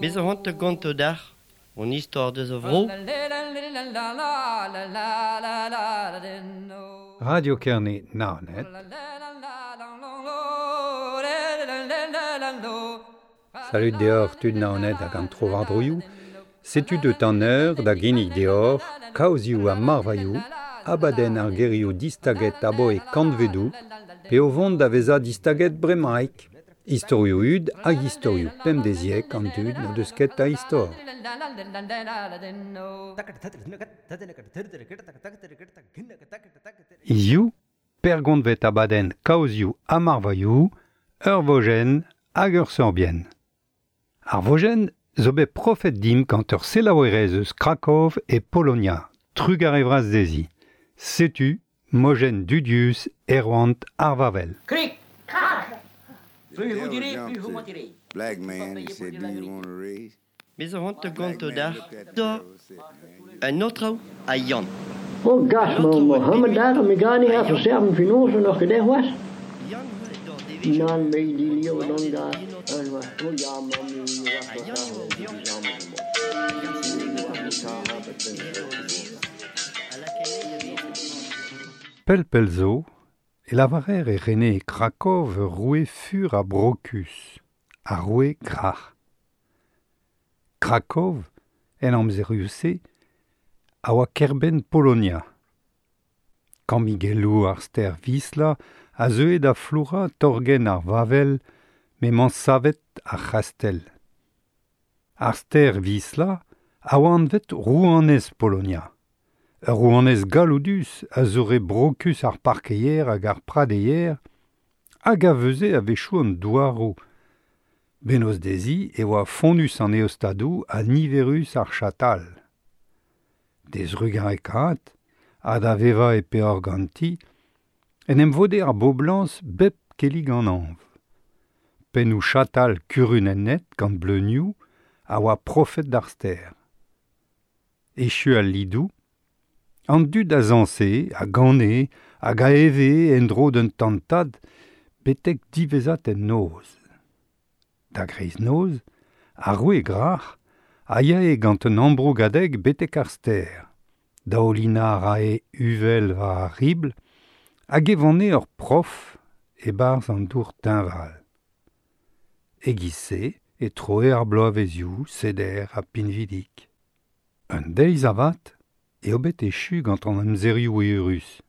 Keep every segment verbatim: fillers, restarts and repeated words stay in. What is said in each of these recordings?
Bez a c'hoant gonto d'ar, on istor deus a vro. Radio Kerne Naoned. Salut deoc'h tud Naoned hag an tro war droioù. Setu deut an eur da ginnig deoc'h, kaozioù ha marvailhoù, abadenn ar gerioù distaget aboe kantvedoù, pe o vont da vezañ distaget bremaik. Istorioù hud hag istorioù pemdeziek an dud n'o deus ket a istor. Hiziv, pergontvet abadenn kaozioù ha marvailhoù, ur vojenn hag ur sorbienn. Ar vojenn zo bet profet dimp gant ur selaouerez eus Krakov e Polonia, trugarez vras dezhi. Setu mojenn dudius Erwan ar Vavel. Krik, krak. Plus vous direz, plus vous mentirez. Black man, he said, do you want a raise? Bez a c'hoant gonto d'ar, da, un autre a Yann. Oh, gas, Mohammed daar, mi gar nicht auf serben Finanzen noch gedacht was? Nan, me die Leo dan da. Oh ja, man, Pel pel zo, e lavarer e rene e Krakov roue fur a Brokus, a roue Grac'h. Krakov, en amzerioù-se, a oa kerbenn Polonia. Kammigelloù ar stêr Wisla a zeue da floura torgenn ar Vavel m'emañ savet ar c'hastell. Ar stêr Wisla a oa anvet rouanez Polonia. Ur rouanez galloudus a zoure brokus ar parkeier hag ar pradeier hag a veuze a-wechoù an douaroù. Bennozh dezhi e oa fonnus an eostadoù ha niverus ar chatal. D'he zrugarekaat ha da vevañ e peoc'h ganti, en em vode ar boblañs bep kellig an hañv. Pennoù chatal kurunennet gant bleunioù a oa profet d'ar stêr. Echu al lidoù, an dud a zañse, a gane, hag a eve en-dro d'un tantad betek diwezhat en noz. Da greiz-noz, ar roue Grac'h a yae gant un ambrougadeg betek ar stêr. Daoulinañ a rae uvel war ar ribl hag e vanne ur prof e-barzh an dour teñval. E-giz-se e troe ar bloavezioù seder ha pinvidik. Un deiz avat eo bet echu gant an amzerioù eürus.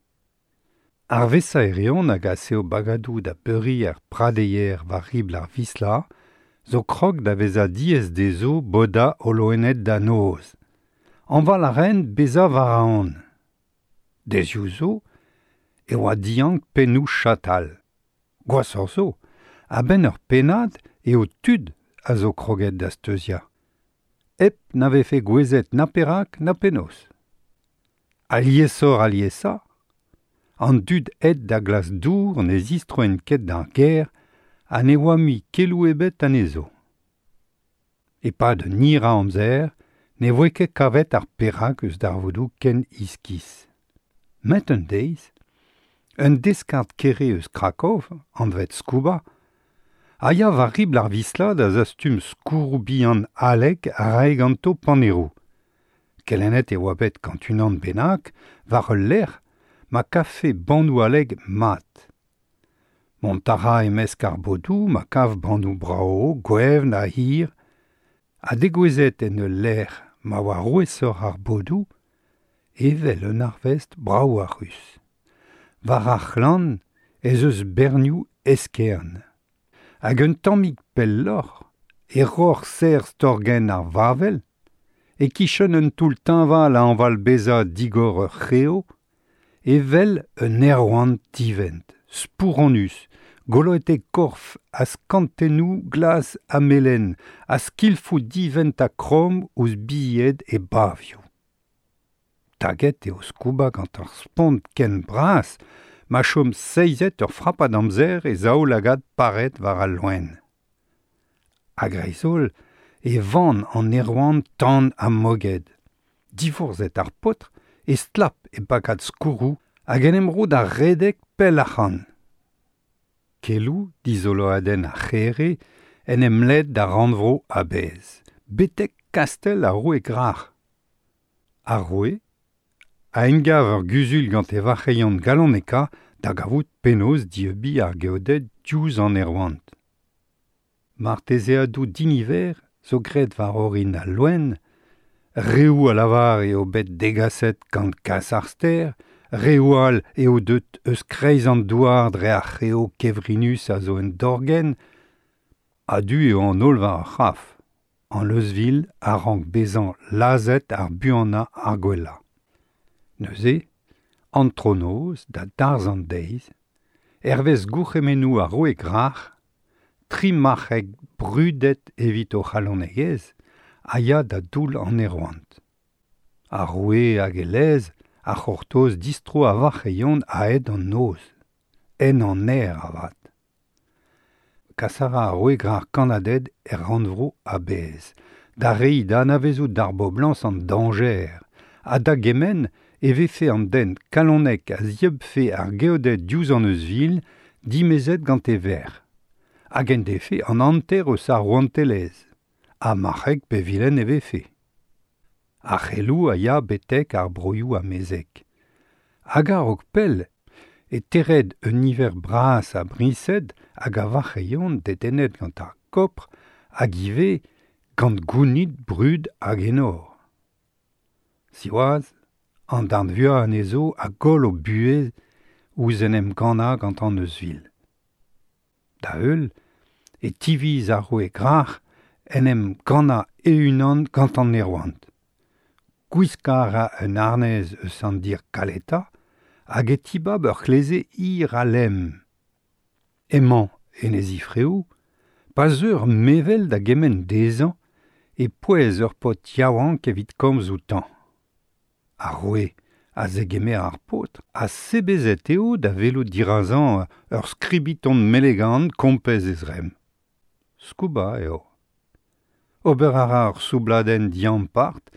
Ar vesaerion hag a seo bagadoù da beuriñ ar pradeier war ribl ar Wisla zo krog da vezañ diaes dezho bodañ o loened da noz. Anval a raent bezañ war an. Dezioù zo e oa diank pennoù chatal. Gwashoc'h zo, a-benn ur pennad eo tud a zo kroget da steuziañ. Hep na vefe gouezet na perak na penaos. Aliesoc'h aliesañ, an dud aet da glask dour ne zistroent ket d'ar gêr ha ne oa mui keloù ebet anezho. E-pad un hir a amzer, ne voe ket kavet ar perak eus darvoudoù ken iskis. Met un deiz, un deskard kere eus Krakov, anvet Skuba, a ya war ribl ar Wisla da zastum skourroù bihan haleg a rae ganto paneroù. Kelennet e oa bet gant unan bennak war ul lec'h ma kafe bannoù haleg mat. Mont a ra e-mesk ar bodoù ma kav bannoù brao, gwevn ha hir, ha degouezhet en ul lec'h ma oa rouesoc'h ar bodoù, evel un arvest brav ha ruz. War ar c'hlann ez eus bernioù eskern. Hag un tammig pelloc'h e roc'h serr torgenn ar Vavel, e kichen un toull teñval a anval bezañ digor ur c'heo, evel un aerouant divent, spouronus, goloet e korf a skantennoù glas ha melen, a skilfoù divent ha kromm ouzh bilhed e bavioù. Taget eo Skuba gant ar spont ken bras, ma chom seizet ur frapad amzer e zaoulagad paret war al loen. A-greiz-holl e van an aerouant tan ha moged. Diforzhet ar paotr e stlap e pakad skourroù hag en em ro da redek pell ac'hann. Kelou dizoloadenn ar c'here en em led da rannvro a-bezh, betek kastell ar roue Grac'h. Ar roue a engav ur guzul gant e varc'heion galoneka da gavout penaos dieubiñ ar geoded diouzh an aerouant. Martezeadoù diniver zo graet war orin al loen, reoù a lavar eo bet degaset gant kas ar stêr, reoù all eo deut eus kreiz an douar dre ar c'heo kevrinus a zo en dorgenn, a-du eo an holl war ar c'hraf. An euzhvil a rank bezañ lazhet ar buanañ ar gwellañ. Neuze, antronoz da darzh an deiz, hervez gourc'hemennoù ar roue Grac'h, tri marc'heg brudet evit o c'halonegezh a ya da doull an aerouant. Ar roue hag e lez a c'hortoz distro a varc'heion a-hed an noz, en an aer avat. Kas a ra ar roue Grac'h kannaded er rannvro a-bezh, da reiñ da anavezout d'ar boblañs an dañjer, ha da gemenn e vefe an den kalonek a zieubfe ar geoded diouzh an euzhvil dimezet gant e verc'h, hag en defe an hanter eus ar rouantelezh, ha marc'heg pe vilen e vefe. Ar c'heloù a ya betek ar broioù amezek. Hag a-raok pell e tered un niver bras a briñsed hag a varc'heion dedennet gant ar kopr hag ivez gant gounid brud hag enor. Siwazh, an darn vuiañ anezho a goll o buhez ouzh en em gannañ gant an euzhvil. Da heul e tiviz ar roue Grac'h en em gannañ e-unan gant an aerouant. Gwiskañ a ra un harnez eus an dir kaletañ hag e tibab ur c'hleze hir ha lemm. Emañ en e zifreoù, pa zeu ur mevel da gemenn dezhañ e pouez ur paotr yaouank evit komz outañ. Ar roue a zegemer ar paotr ha sebezet eo da welout dirazañ ur skribiton melegan kompez e zremm. Skuba eo. Ober a ra ur soubladenn diampart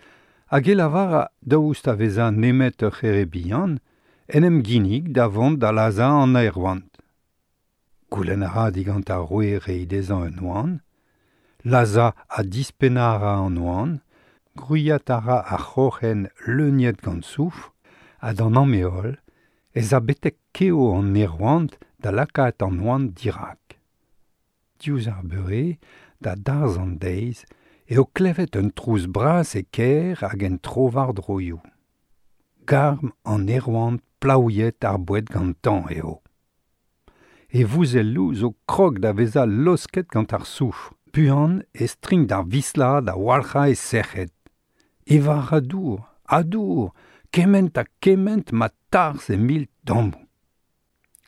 hag e lavar a daoust a vezañ nemet ur c'here bihan en em ginnig da vont da lazhañ an aerouant. Goulenn a ra digant ar roue reiñ dezhañ un oan, lazhañ ha dispennañ a ra an oan, gwriat a ra ar c'hroc'hen leuniet gant soufr, ha d'an amheol ez a betek keo an aerouant da lakaat an oan dirak. Diouzh ar beure, da darzh an deiz, eo klevet un trouz bras e kêr hag en trowardroioù. Garm an aerouant plaouiet ar boued gantañ eo. E vouzelloù zo krog da vezañ losket gant ar soufr. Buan e strink d'ar Wisla da walc'hañ e sec'hed. Evañ a ra dour, ha dour, kement ha kement ma tarzh e mil dammoù.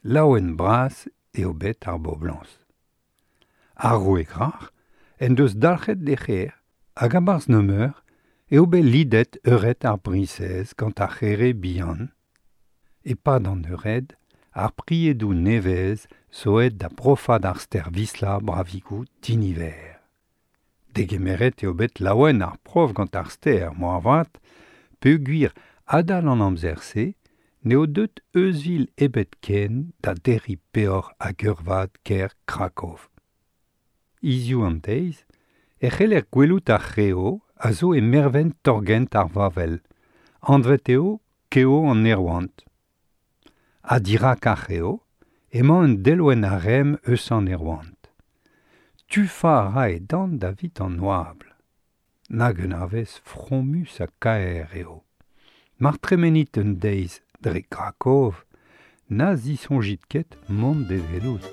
Laouen bras eo bet ar boblañs. Ar roue Grac'h en deus dalc'het d'e c'her hag a-barzh nemeur eo bet lidet eured ar briñsez gant ar c'here bihan. E-pad an eured, ar priedoù nevez zo aet da profañ d'ar stêr Wisla bravigoù diniver. Degemeret eo bet laouen ar prof gant ar stêr, moarvat, peogwir adal an amzer-se n'eo deut euzhvil ebet ken da derriñ peoc'h hag eurvad kêr Krakow. Hiziv an deiz e c'heller gwelout ar c'heo a zo e mervent torgent ar Wavel, anvet eo keo an aerouant. Ha dirak ar c'heo emañ un delwenn arem eus an aerouant. Tufañ a ra e dant davit an oabl. Nag un arvez fromus ha kaer eo. Mar tremenit un deiz dre Krakow, na zisoñjit ket mont d'e welout.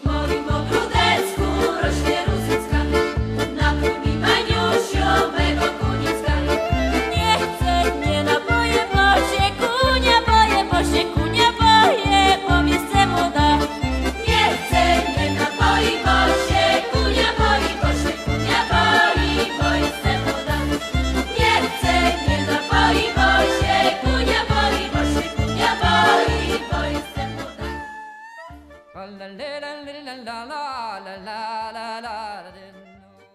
W moim ogródecku rośnie różycka, na mi Maniusio mego kunicka. Nie chcę, nie napoję, bo się kunia boję, bo się kunia boję, bo miejsce młoda. Nie chcę, nie napoi, bo się kunia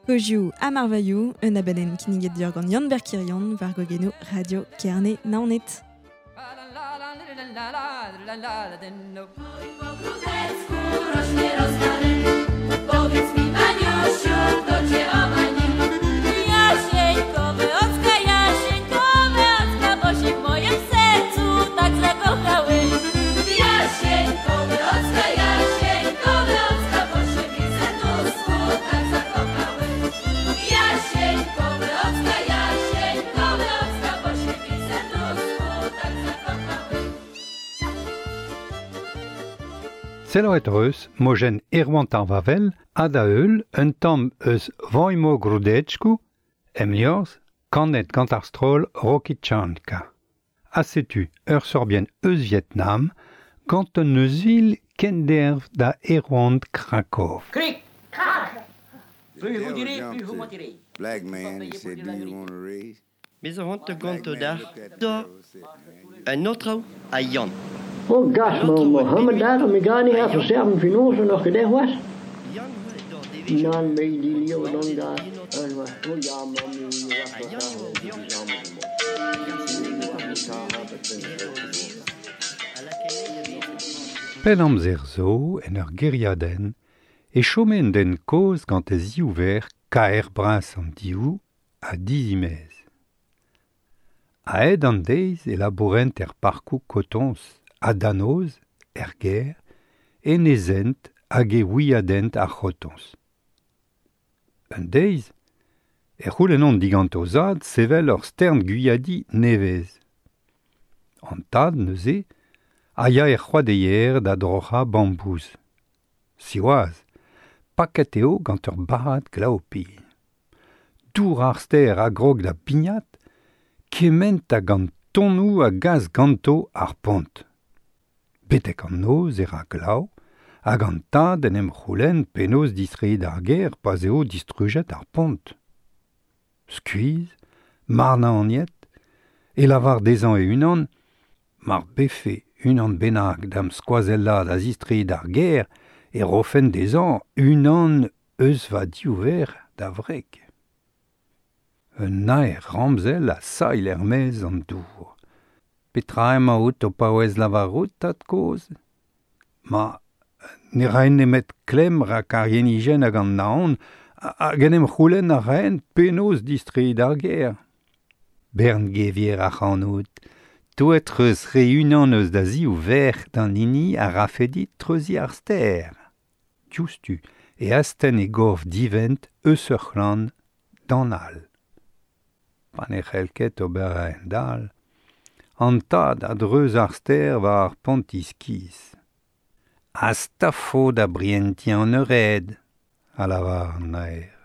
Kozioù ha marvailhoù, un abadenn kinniget dior gant Yann Berkirion war gogeno Radio Kerne Naoned. Powiedz mi, Maniusiu, kto cię omanił? Jasieńkowy ocka, jasieńkowy ocka, bo się w moim sercu tak zakochały. Jasieńkowy ocka, jasieńkowy ocka, bo się w mi serduszku tak zakochały. Jasieńkowy ocka, jasieńkowy ocka, bo się w mi serduszku tak zakochały. Zeloet reus, mojen Erwan ar Vavel, ha da eul, un tamm eus Voimo Grudechku, em liorzh, kanet gant ar stroll Rokitchanka. Ha setu ur sorbien eus Vietnam, gant un eus kenderv da Erwan Krakow. Krik, krak. The devil jumped to black man and said, do you want to race? Bez a hont Black gant man da looked at the da devil and said, man, un autre a Yann. Oh, gas, ma Mohammed daar, mi gar niet even serven finoze nog gedacht was. Nan me die leeuw dan daar. En wat, oh ja, man, mi Pell amzer zo, en ur geriadenn, e chomen den koz gant e ziouver kaer bras an diou a dizimez. A-hed an deiz e labourent er parkoù kotons a danoz, er ger, enezent hag e ouiadent ar c'hotons. Un deiz, e c'houlenont digant o zad sevel ur stern guyadi nevez. An tad neuze, a ya er c'hoadeier da droc'ha bambouz. Siwazh, paket eo gant ur barrad glaopi. Dour ar ster a grog da pignat, kement hag an tonnoù a gas ganto ar pont. Betek an noz e ra glav, hag an tad en em c'houlenn penaos distreiñ ar ger pa'z eo distrujet ar pont. Skuizh, marnañ aniet, e lavar dezhañ e-unan, mar befe unan bennak da'm skoazellad a zistreiñ ar ger e rofen dezhañ unan eus va diouver da wreg. Un naer ramzel a sailh er-maez an dour. Petra emañ out o paouez lavarout, tad-kozh? Ma ne raen nemet klemm rak ar yenijenn hag an naon hag en em c'houlenn a raen penaos distreiñ ar ger. Bern gevier ac'hanout, touet eus re unan eus da ziv verc'h d'an hini a rafe dit treuziñ ar stêr. Diouzhtu e astenn e gorf divent eus ur c'hlann d'an all. Pa ne c'hell ket ober a-hend-all, an tad a dreuz ar stêr war ar pont iskis. Astafo da brientiñ an eured, a lavar an naer.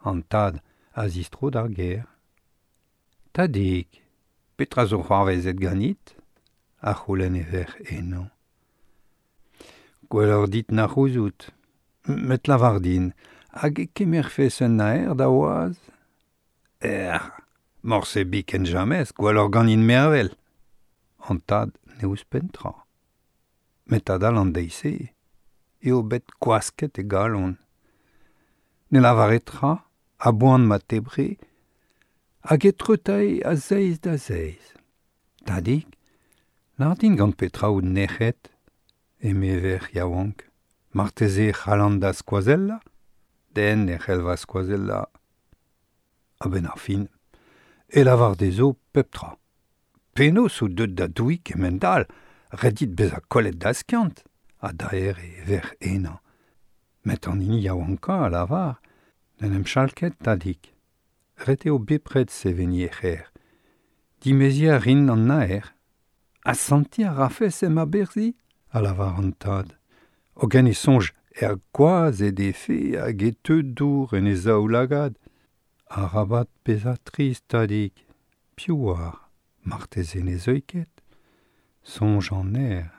An tad a zistro d'ar ger. Tadig, petra zo c'hoarvezet ganit? A c'houlenn e verc'h eno. Gwelloc'h dit na c'houzout. Met lavar din, hag e kemerfes un naer da oaz? Er, morse biken jamez, gwelloc'h ganin mervel. An tad ne ouzhpenn tra. Met adal an deiz-se eo bet gwasket e galon. Ne lavare tra, a-boan ma tebre, hag e treutae a zeiz da zeiz. Tadig, lar din gant petra out nec'het, eme verc'h yaouank. Marteze c'hallan da skoazella? Den e c'hell va skoazella. A-benn ar fin, e lavar dezho pep tra. Penaos out deut da douiñ kement-all, ret dit bezañ kollet da skiant, ha daer e verc'h henañ. Met an hini yaouankañ a lavar, n'en em chal ket, tadig. Ret eo bepred seveniñ e c'her. Dimeziñ a rin an naer. Asantiñ a rafes em aberzhiñ, a lavar an tad. Hogen e soñj er gwaz e defe hag e teu dour en e zaoulagad. Arabat bezañ trist, tadig. Piv oar, marteze ne zeuy ket. Soñj an aer.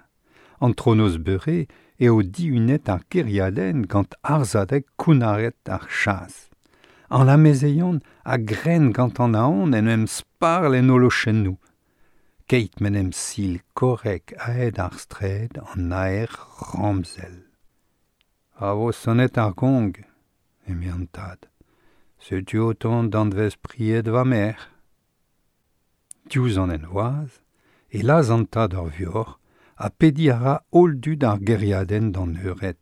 An tronoz beure eo dihunet ar geriadenn gant arzhadeg kounnaret ar chas. An amezeion a gren gant an aon en em sparl en o lochennoù. Keit men em sil korrek aet ar straed an aer ramzel. A vo sonet ar gong, eme an tad. Setu o tont danvez pried va merc'h. Diouzh an envoaz, e laz an tad ur vuoc'h ha pedi a ra holl dud ar gêriadenn d'an eured.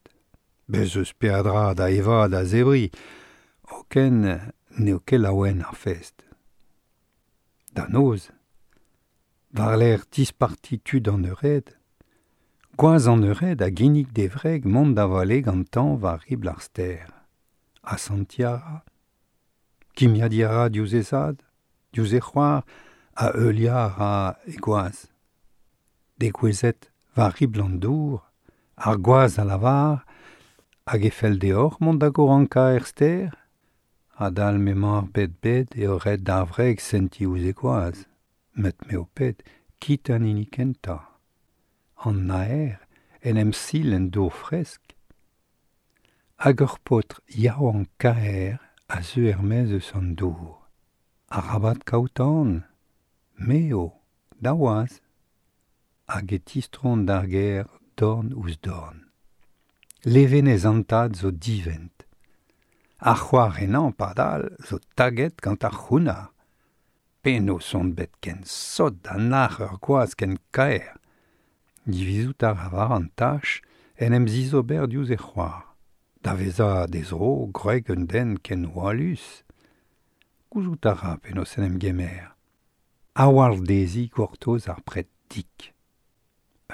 Bez eus peadra da evañ da zebriñ, hogen n'eo ket laouen ar fest. Da noz, war-lerc'h disparti tud an eured, gwaz an eured a ginnig d'e wreg mont da vale gantañ war ribl ar stêr. Asantiñ a ra, kimiadiñ a ra diouzh he zad, diouzh he c'hoar, ha heuliañ a ra he gwaz. Degouezhet war ribl an dour, ar gwaz a lavar, hag e fell deoc'h mont da gorankañ er stêr? Adal m'emañ ar bed-bed eo ret d'ar wreg sentiñ ouzh he gwaz. Met me ho ped, kit an hini kentañ. An naer en em sil en dour fresk. Hag ur paotr yaouank kaer a zeu er-maez eus an dour. Arabat kaout aon, me eo, da waz. Hag e tistron d'ar gêr dorn ouzh dorn. Levenez an tad zo divent. Ar c'hoar henañ padal zo taget gant ar c'hounnar. Penaos on bet ken sot da nac'h ur gwaz ken kaer. Divizout a ra war an tach en em zizober diouzh e c'hoar. Da vezañ d'he zro gwreg un den ken hoalus. Gouzout a ra penaos en em gemer. A-walc'h dezhi gortoz ar pred dik.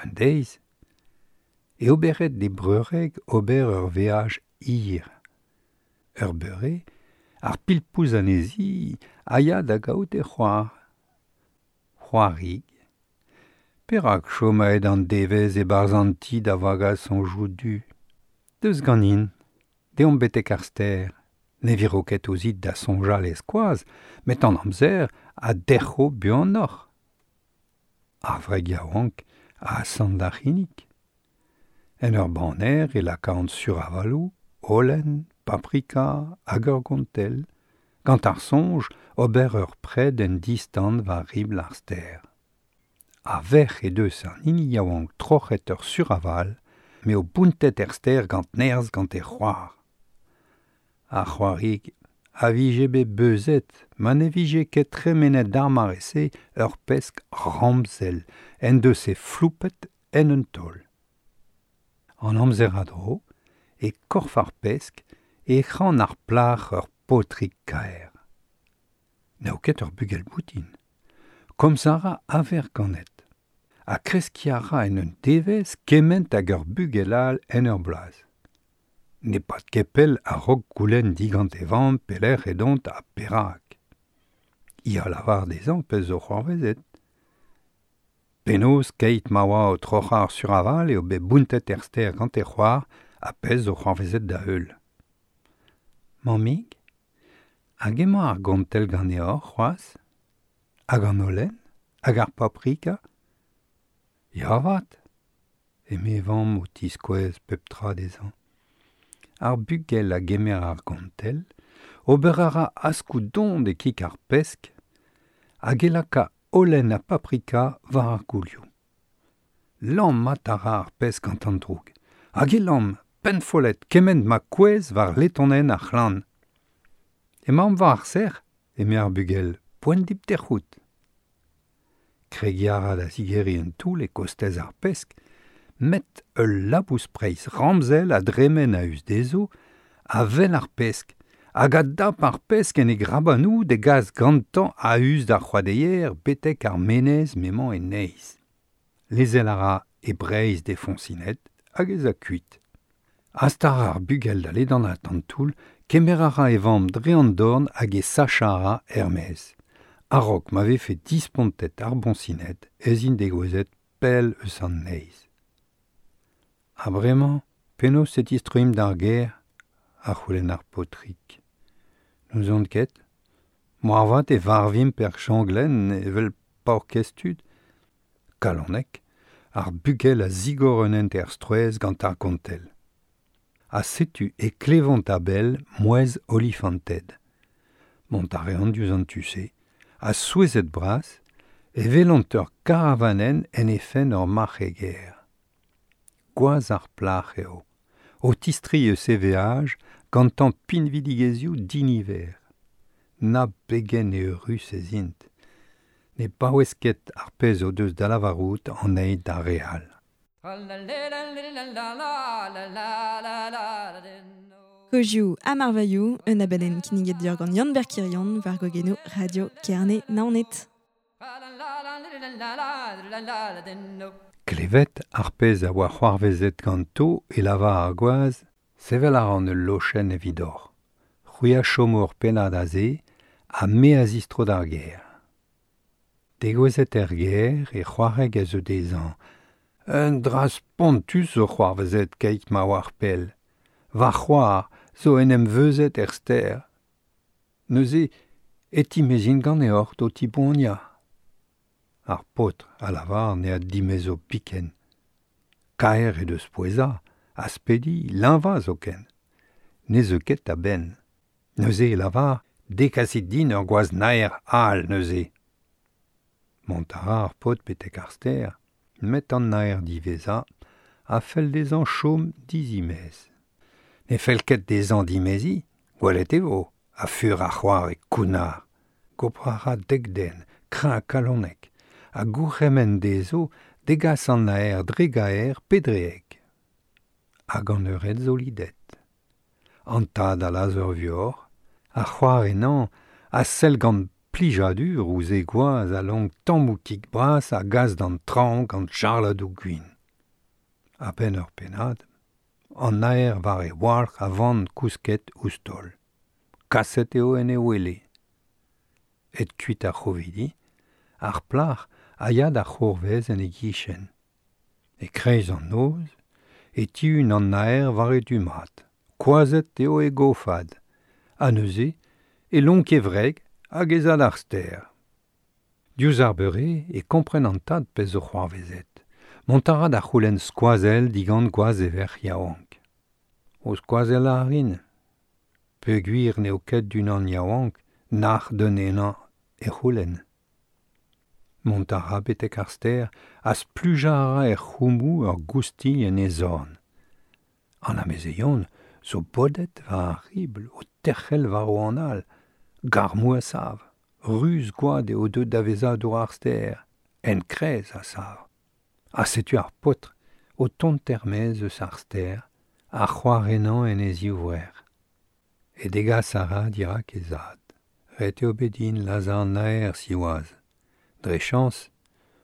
Un deiz, e oberet d'e breureg ober ur veaj hir. Ur beure, ar pilpouz anezhi a ya da gaout e c'hoar. C'hoarig. Perak chom aet an devezh e-barzh an ti da vagañ soñjoù du? Deus ganin, deomp betek ar stêr. Ne viro ket ouzhit da soñjal e skoaz, met an amzer a derc'ho buanoc'h. Ar wreg yaouank a asant d'ar c'hinnig. En ur baner e lakaont suravaloù, holen, paprika hag ur gontell, gant ar soñj ober ur pred en distan war ribl ar stêr. A-vec'h he deus an hini yaouank troc'het ur suraval, m'eo bountet er stêr gant nerzh gant he c'hoar. Ar c'hoarig a vije bet beuzet ma ne vije ket tremenet d'ar mare-se ur pesk ramzel en deus he floupet en un taol. An amzer a-dro, e korf ar pesk e c'han ar plac'h ur paotrig kaer. N'eo ket ur bugel boutin. Komz a ra a-vec'h ganet. Ha kreskiñ a ra en un devezh kement hag ur bugel all en ur bloaz. Ne pad ket pell a-raok goulenn digant e vamm pelec'h edont ha perak. Hi a lavar dezhañ pezh zo c'hoarvezet. Penaos keit ma oa o troc'hañ ar suraval eo bet bountet er stêr gant e c'hoar ha pezh zo c'hoarvezet da heul. Mammig, hag emañ ar gontell ganeoc'h c'hoazh? Hag an holen? Hag ar paprika? Ya avat, eme vamm o tiskouez pep tra dezhañ. Ar bugel a gemer ar gontell, ober a ra askoù don e kig ar pesk, hag e laka holen ha paprika war ar goulioù. Lammat a ra ar pesk gant an droug, hag e lamm pennfollet kement ma kouezh war letonenn ar c'hlann. Emaomp war ar sec'h, eme ar bugel, poent dit tec'hout. Kregiñ a ra da zigeriñ un toull e kostez ar pesk, met ul labous-preizh ramzel a dremen a-us dezho, a wel ar pesk, hag a dap ar pesk en e grabanoù d'e gas gantañ a-us d'ar c'hoadeier betek ar menez m'emañ e neizh. Lezel a ra e breizh d'e foñsined hag ez a kuit. Hastar ar bugel da ledanaat an toull, kemer a ra e vamm dre an dorn hag e sachañ a ra er-maez. A-raok ma vefe dispontet ar boñsined ez int degouezhet pell eus an neizh. Ha bremañ, penaos e tistroimp d'ar gêr? A c'houlenn ar paotrig. N'ouzon ket. Moarvat e varvimp er changlenn evel paourkaezh tud. Kalonek, ar bugel a zigor un hent er strouezh gant ar gontell. Ha setu e klevont a-bell mouezh olifanted. Mont a reont diouzh an tu-se, ha souezhet bras, e welont ur karavanenn en he fenn ur marc'heger. Gwaz ar plac'h eo. O tistriñ eus e veaj gantañ pinvidigezhioù diniver. Na pegen eürus ez int. Ne paouez ket ar pezh o deus da lavarout an eil d'ar re all. Kozioù ha marvailhoù, un abadenn kinniget deoc'h gant Yann-Ber Quirion war gogenoù Radio Kerne Naoned. Klevet ar pezh a oa c'hoarvezet ganto e lavar ar gwaz, sevel a ran ul lochenn evidoc'h. C'hwi a chomo ur pennad aze ha me a zistro d'ar gêr. Degouezhet er gêr e c'hoareg a zeu dezhañ. Un dra spontus zo c'hoarvezet keit ma oar pell. Va c'hoar zo en em veuzet er stêr. Neuze e timezin ganeoc'h d'ho tiboaniañ. Ar paotr a lavar ne addimezo biken. Kaer he deus pouezañ, aspediñ, leñvañ zoken. Ne zeu ket a-benn. Neuze e lavar dekasit din ur gwaz naer all neuze. Mont a ra ar paotr betek ar stêr, met an naer diwezhañ a fell dezhañ chom dizimez. Ne fell ket dezhañ dimeziñ, gwelet e vo, a fur ar c'hoar e kounnar. Gopr a ra dek den, kreñv ha kalonek, ha gourc'hemenn dezho degas an naer dre gaer pe dre heg. Hag an eured zo lidet. An tad a laz ur vuoc'h, ar c'hoar ennañ a sell gant plijadur ouzh e gwaz a lonk tammoù kig bras a gas d'an traoñ gant charladoù gwin. A-benn ur pennad, an naer war e walc'h a van kousket ouzh taol. Kaset eo en e wele. Et kuit ar c'hovidi, ar plac'h a ya d'ar c'hourvez en e gichen. E kreiz an noz, e tihun an naer war e du mat. Koazhet eo e gofad. Ha neuze, e lonk e wreg hag ez a d'ar stêr. Diouzh ar beure e kompren an tad pezh zo c'hoarvezet. Mont a ra da c'houlenn skoazell digant gwaz e verc'h yaouank. O skoazell a rin. Peogwir n'eo ket d'unan yaouank, nac'h d'un henañ e c'houlenn. Mont a ra betek ar stêr ha splujañ a ra er c'houmoù ur goustilh en e zorn. An amezeion zo bodet war ar ribl o terc'hel war o anal, garmoù a sav, ruz gwad eo deuet da vezañ dour ar stêr, enkrez a sav. Ha setu ar paotr o tont er-maez eus ar stêr, ar c'hoar ennañ en e zivrec'h. E degas a ra dirak he zad. Ret eo bet din lazhañ an naer siwazh. Dre chañs,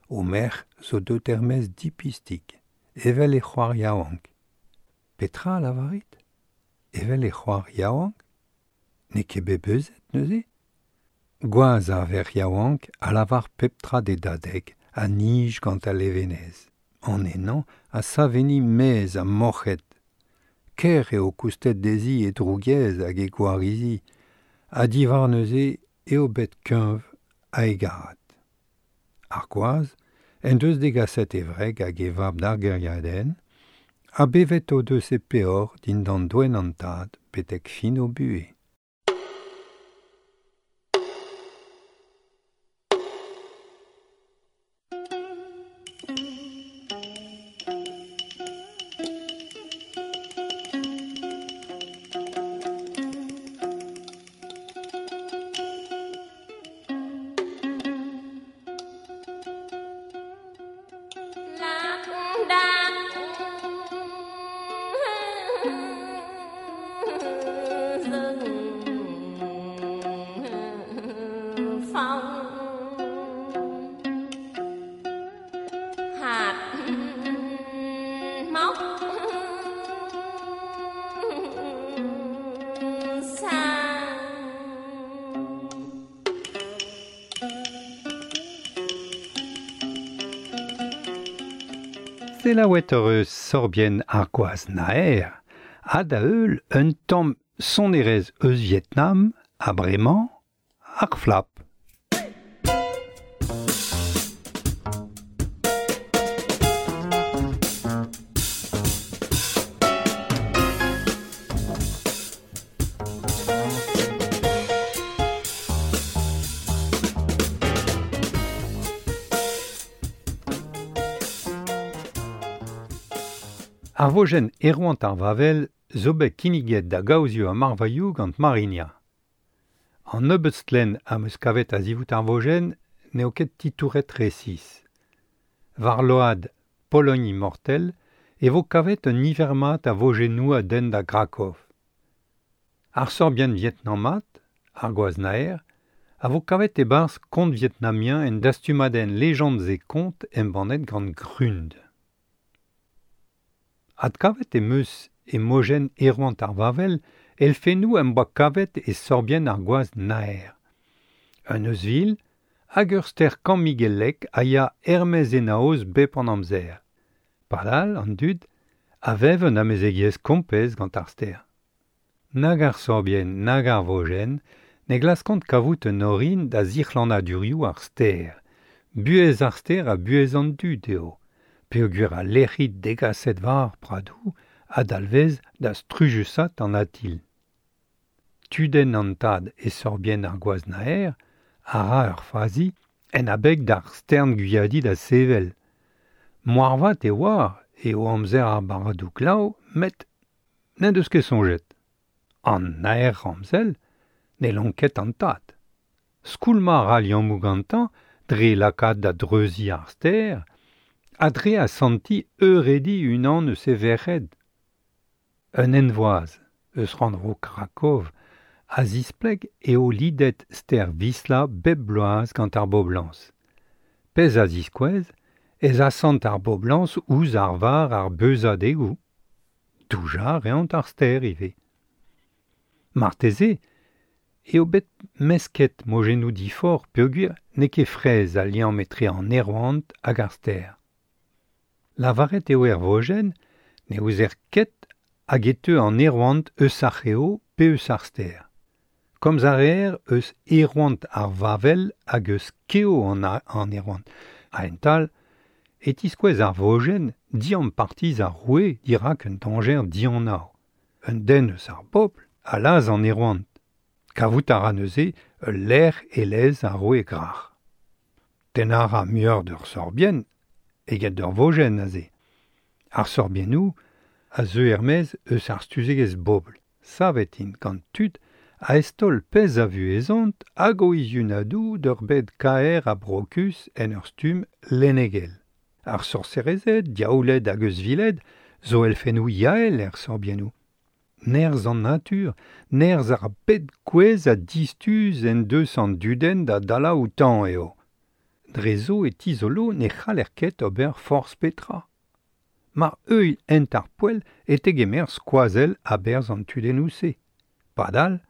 o merc'h zo deuet er-maez dipistik, evel e c'hoar yaouank. Petra a lavarit? Evel e c'hoar yaouank? N'eo ket bet beuzet neuze? Gwaz ar verc'h yaouank a lavar pep tra d'e dadeg a nij gant al levenez. An ennañ a sav enni mezh ha morc'hed. Ker eo koustet dezhi e drougiezh hag e gwarizi, ha diwar neuze eo bet kuñv ha hegarat. Ar gwaz en deus degaset e wreg hag e vab d'ar gêriadenn, ha bevet o deus e peoc'h dindan doenn an tad betek fin o buhez. Selaouet hor eus sorbien ar gwaz naer, ha da heul un tamm sonerezh eus Vietnam, ha bremañ ar flap. Ar vojenn Erwant ar Vavel zo bet kinniget da gaozioù ha marvailhoù gant Marinia. An nebeud stlenn am eus kavet a-zivout ar vojenn n'eo ket titouret resis. War load Pologne immortel e vo kavet un niver mat a vojennoù a denn da Krakow. Ar sorbienn vietnamat, ar gwaz naer, a vo kavet e-barzh kont vietnamien en dastumadenn Légendes et contes embannet gant Grund. Adkavet em eus e mojenn Erwant ar Vavel elfennoù em boa kavet e sorbienn ar gwaz naer. Un euzhvil hag ur ster kammigellek a ya er-maez enaoz bep an amzer. Padal, an dud, a vev un amezegiezh kompez gant ar ster. Nag ar sorbienn, nag ar vojenn, ne glaskont kavout un orin da zic'hlannadurioù ar ster. Buhez ar ster ha buhez an dud eo. Peogwir al lec'hid degaset war ar pradoù ha dalvez da strujusat an atil. Tudenn an tad e sorbienn ar gwaz naer a ra ur fazi en abeg d'ar stern gwiadi da sevel. Moarvat e oar eo amzer ar barradoù glav, met n'en deus ket soñjet. An naer ramzel ne lonket an tad. Skoulmañ a ra liammoù gantañ dre lakaat da dreuziñ ar ster ha dre asantiñ eurediñ unan eus e verc'hed. Un henvoaz eus rannvro Krakow a zispleg eo lidet ster Wisla bep bloaz gant ar boblañs. Pezh a ziskouez ez asant ar boblañs ouzh ar var ar beuzadegoù. Doujañ a reont ar ster ivez. Marteze eo bet mesket mojennoù difor peogwir n'eo ket fraezh al liamm etre an aerouant hag ar ster. Lavaret eo er vojenn ne ouzer ket hag e teu an aerouant eus ar c'heo pe eus ar ster. Komz a reer eus aerouant ar Vavel hag eus keo an, an aerouant. A-hent-all, e tiskouez ar vojenn diampartiz ar roue dirak un dañjer dianav. Un den eus ar bobl a laz an aerouant. Kavout a ra neuze ul lec'h e lez ar roue grac'h. Tennañ a ra muioc'h d'ur sorbienn eget d'ur vojenn aze. Ar sorbiennoù a zeu er-maez eus ar stuzegezh bobl. Savet int gant tud a eztaol pezh a vuhezont hag o izunadoù d'ur bed kaer ha brokus en ur stumm lennegel. Ar sorserezed, diaouled hag euzhviled zo elfennoù yael er sorbiennoù. Nerzh an natur, nerzh ar bed kouezh ha distuz en deus an dudenn da dalañ outañ eo. Dre zo e tizolo ne c'haller ket ober forzh petra. Mar heuilh hent ar poell e tegemer skoazell a-berzh an tudennoù-se. Padal,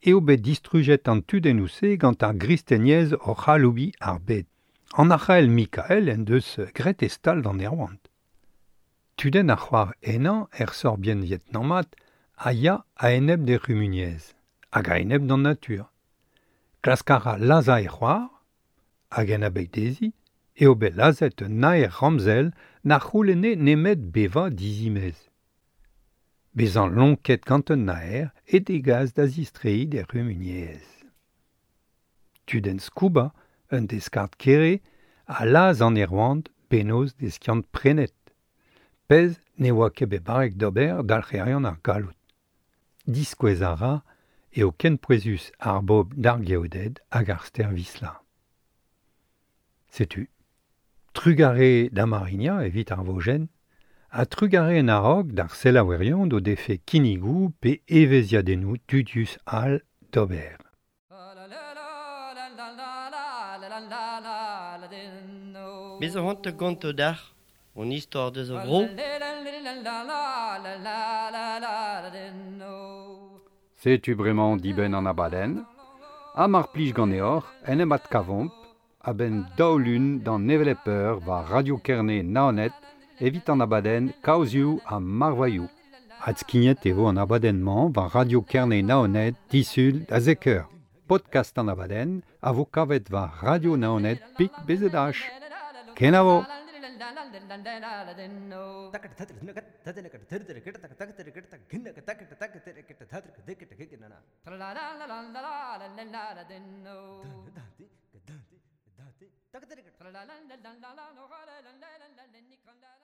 eo bet distrujet an tudennoù-se gant ar gristeniezh oc'h aloubiñ ar bed. An arc'hael Mikael en deus graet e stal d'an aerouant. Tudenn ar c'hoar henañ er sorbienn vietnamat a ya a-enep d'he c'humuniezh, hag a-enep d'an natur. Klask a ra lazhañ e c'hoar, hag en abeg dezhi, eo bet lazhet un naer ramzel na c'houlenne nemet bevañ dizimez. Bezañ lonket gant un naer e degas da zistreiñ d'he c'humuniezh. Tudenn Skuba, un deskard kere, a laz an aerouant bennozh d'e skiant prenet. Pezh ne oa ket bet barrek d'ober dalc'herion ar galloud. Diskouez a ra eo ken pouezus ar bobl d'ar geoded hag ar ster Wisla. Setu. Trugarez da Marinia evit ar vojenn, ha trugarez en a-raok d'ar selaouerion d'o defe kinnigoù pe evezhiadennoù dudius all d'ober. Bez a c'hoant gonto d'ar, on istor deus a vro. Setu bremañ dibenn an abadenn, ha mar plij ganeoc'h en em adkavomp a-benn daou lun d'an hevelep eur war Radio Kerne Naoned evit an abadenn Kaozioù ha Marvailhoù. Adskignet e vo an abadenn-mañ war Radio Kerne Naoned disul da zek eur. Podcast an abadenn a vo kavet war Radio Naoned pik B Z H. Kenavo! La la la la la la la la la la.